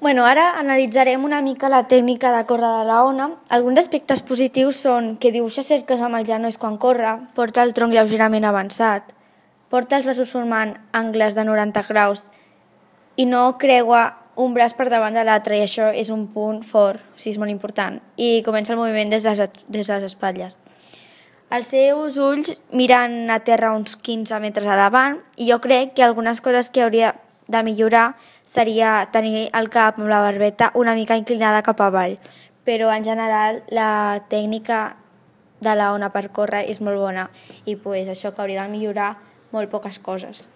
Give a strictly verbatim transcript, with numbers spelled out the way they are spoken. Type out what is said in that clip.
Bueno, ara analitzarem una mica la tècnica de córrer de la ona. Alguns aspectes positius són que dibuixa cercles amb els genolls quan corre, porta el tronc lleugerament avançat, porta els braços formant angles de noranta graus i no creua un braç per davant de l'altre, i això és un punt fort, o sigui, és molt important. I comença el moviment des de les, des de les espatlles. Els seus ulls miren a terra uns quinze metres a davant, i jo crec que algunes coses que hauria de millorar seria tenir el cap amb la barbeta una mica inclinada cap avall, però en general la tècnica de la ona per córrer és molt bona i pues, això que hauria de millorar molt poques coses.